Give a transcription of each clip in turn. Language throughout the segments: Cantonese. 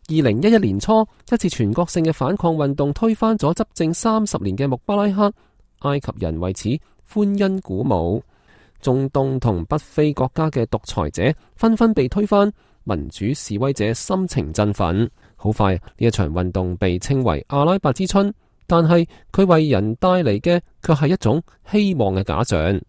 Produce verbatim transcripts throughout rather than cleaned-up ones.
二零一一年初一次全國性嘅反抗運動推翻咗執政三十年嘅穆巴拉克，埃及人為此歡欣鼓舞。中東同北非國家嘅獨裁者紛紛被推翻，民主示威者心情振奮。好快，呢一場運動被稱為阿拉伯之春，但係佢為人帶嚟嘅卻係一種希望嘅假象。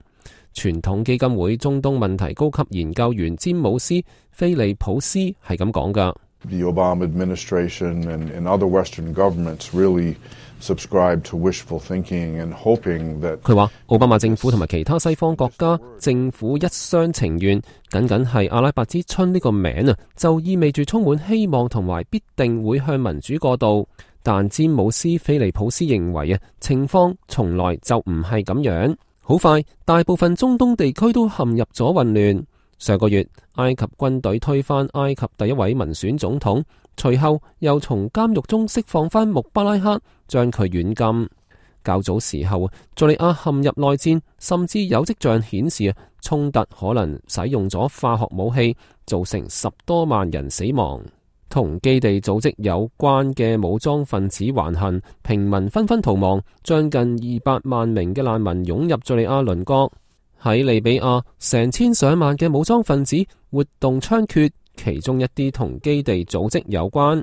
傳統基金會中東問題高級研究員詹姆斯·菲利普斯係咁講㗎。The Obama administration and, and other Western governments really subscribe to wishful thinking and hoping that 佢話奧巴馬政府同埋其他西方國家政府一廂情願，僅僅係阿拉伯之春呢個名啊，就意味住充滿希望同埋必定會向民主過渡。但詹姆斯·菲利普斯認為啊，情況從來就唔係咁樣。好快，大部分中東地區都陷入咗混亂。上個月，埃及軍隊推翻埃及第一位民選總統，隨後又從監獄中釋放翻穆巴拉克，將佢軟禁。較早時候，敘利亞陷入內戰，甚至有跡象顯示啊，衝突可能使用咗化學武器，造成十多萬人死亡。同基地組織有關嘅武裝分子橫行，平民紛紛逃亡，將近二百萬名嘅難民湧入敘利亞鄰國。喺利比亞，成千上萬嘅武裝分子活動猖獗，其中一啲同基地組織有關。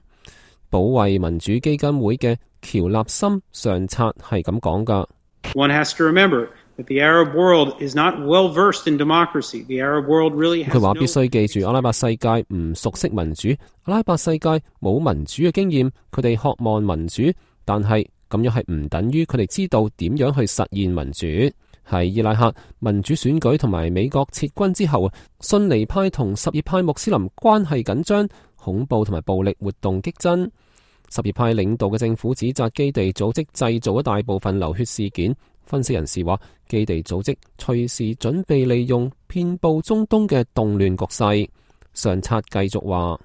保衛民主基金會嘅喬納森上策係咁講㗎。One has to remember that the Arab world is not well versed in democracy. The Arab world really has no... 佢話必須記住，阿拉伯世界唔熟悉民主，阿拉伯世界冇民主嘅經驗，佢哋渴望民主，但係咁樣係唔等於佢哋知道點樣去實現民主。喺伊拉克民主選舉同埋美國撤軍之後，遜尼派同什葉派穆斯林關係緊張，恐怖同埋暴力活動激增。什葉派領導嘅政府指責基地組織製造咗大部分流血事件。分析人士話，基地組織隨時準備利用遍佈中東嘅動亂局勢。上策繼續話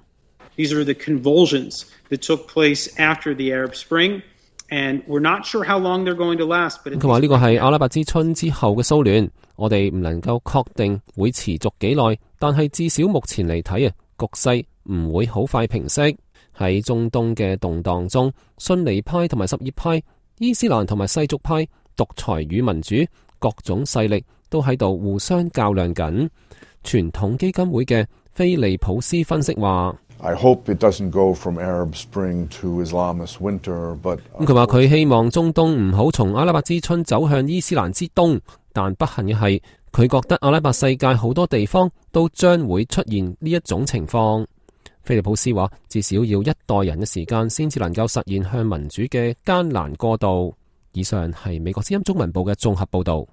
These are the convulsions that took place after the Arab Spring. And we're not sure how long they're going to last, but 佢話呢個係阿拉伯之春之後嘅騷亂，我哋唔能夠確定會持續幾耐，但係至少目前嚟睇啊，局勢唔會好快平息。喺中東嘅動盪中，遜尼派同埋什葉派、伊斯蘭同埋世俗派、獨裁與民主各種勢力都喺度互相較量緊。傳統基金會嘅菲利普斯分析話I hope it doesn't go from Arab Spring to Islamist winter, but 咁佢話佢希望中東唔好從阿拉伯之春走向伊斯蘭之冬，但不幸嘅係佢覺得阿拉伯世界好多地方都將會出現呢一種情況。菲利普斯話，至少要一代人嘅時間先至能夠實現向民主嘅艱難過渡。以上係美國之音中文部嘅綜合報道。